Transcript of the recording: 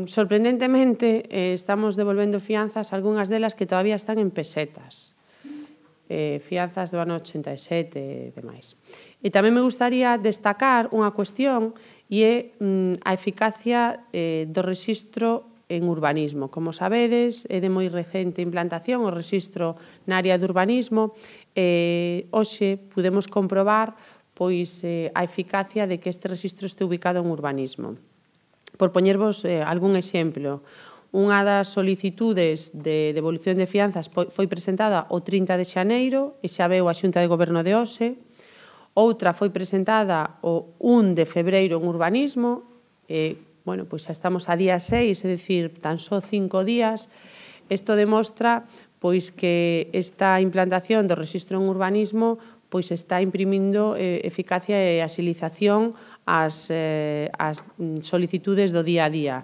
Sorprendentemente, estamos devolvendo fianzas, algunhas delas que todavía están en pesetas. Fianzas do ano 87 e demais. E tamén me gustaría destacar unha cuestión e é a eficacia do rexistro en urbanismo. Como sabedes, é de moi recente implantación o rexistro na área de urbanismo. Hoxe podemos comprobar pois a eficacia de que este rexistro este ubicado en urbanismo. Por poñervos algún exemplo, unha das solicitudes de devolución de fianzas foi presentada o 30 de xaneiro e xa veu a Xunta de Goberno de hoxe. Outra foi presentada o 1 de febreiro en urbanismo. Pois xa estamos a día 6, é dicir, tan só 5 días. Isto demostra pois que esta implantación do rexistro en urbanismo pois está imprimindo eficacia e axilización ás solicitudes do día a día.